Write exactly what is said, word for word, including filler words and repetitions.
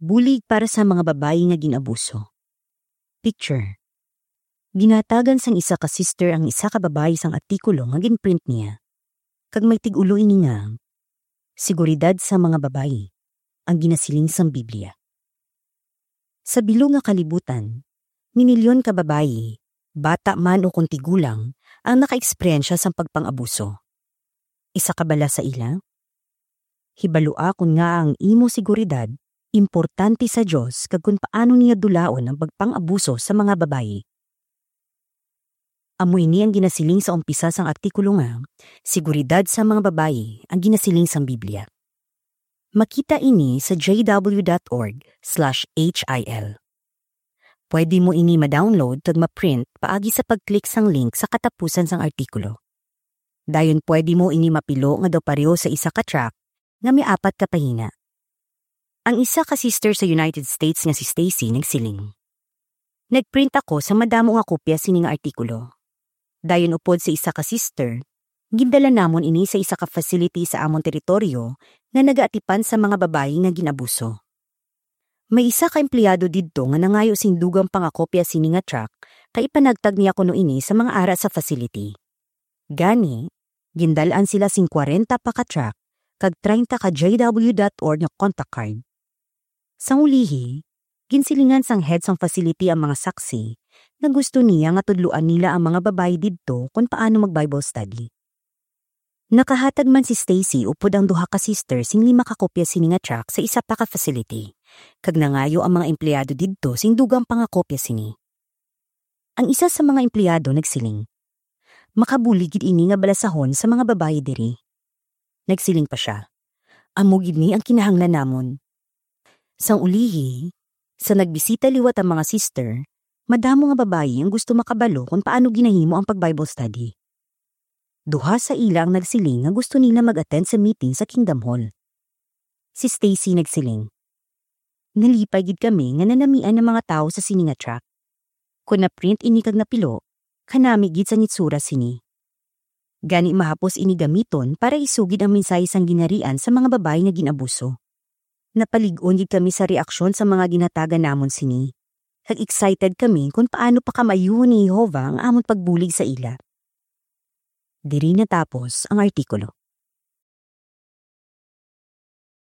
Bulig para sa mga babayi nga gin-abuso. Picture. Ginhatagan sang isa ka sister ang isa ka babayi sang artikulo nga ginprint niya, kag may tig-ulo ini nga, "Seguridad sa mga babayi, ang ginasiling sang Biblia." Sa bilog nga kalibutan, minilyon ka babayi, bata man o kon tigulang, ang nakaeksperyensya sang pagpang-abuso. Isa ka bala sa ila? Hibalua kon ngaa ang imo seguridad importante sa Dios kag kon paano niya dulaon ang pagpang-abuso sa mga babayi. Amo ini ang ginasiling sa umpisa sang artikulo nga, "Seguridad sa mga babayi ang ginasiling sang Biblia." Makita ini sa J W dot org slash H I L. Pwede mo ini ma-download kag ma-print paagi sa pag-click sang link sa katapusan sang artikulo. Dayon pwede mo ini mapilo nga daw pareho sa isa ka tract nga may apat ka pahina. Ang isa ka sister sa United States nga si Stacy nagsiling, "Nagprint ako sa madamo nga kopya sini nga artikulo. Dayon upod sa isa ka sister, gindala namon ini sa isa ka facility sa amon teritoryo nga nagaatipan sa mga babayi nga gin-abuso. May isa ka empleyado didto nga nangayo sing dugang pa nga kopya sini nga tract kay ipanagtag niya kuno ini sa mga ara sa facility. Gani, gindal-an sila sing kwarenta pa ka tract kag treinta ka J W dot org nga contact card." Sang ulihi, ginsilingan sang head sang facility ang mga saksi nga gusto niya nga tudloan nila ang mga babayi didto kon paano mag-Bible study. Nakahatag man si Stacy upod ang duha ka sister sing lima ka kopya sini nga tract sa isa pa ka facility, kag nangayo ang mga empleyado didto sing dugang pa nga kopya sini. Ang isa sa mga empleyado nagsiling, "Makabulig gid ini nga balasahon sa mga babayi diri." Nagsiling pa sia, "Amo gid ni ang kinahanglan namon." Sang ulihi, sa nagbisita liwat ang mga sister, madamo nga babayi ang gusto makabalo kon paano ginahimo ang pag-Bible study. Duha sa ila ang nagsiling nga gusto nila mag-attend sa meeting sa Kingdom Hall. Si Stacy nagsiling, "Nalipay gid kami nga nanamian ang mga tawo sa sini nga tract. Kon na-print ini kag napilo, kanami gid sang itsura sini. Gani mahapos ini gamiton para isugid ang mensahe sang Ginharian sa mga babayi nga gin-abuso. Napalig-on gid kami sa reaksyon sa mga ginhatagan namon sini, kag excited kami kon paano pakamaayuhon ni Jehovah ang amon pagbulig sa ila." Diri natapos ang artikulo.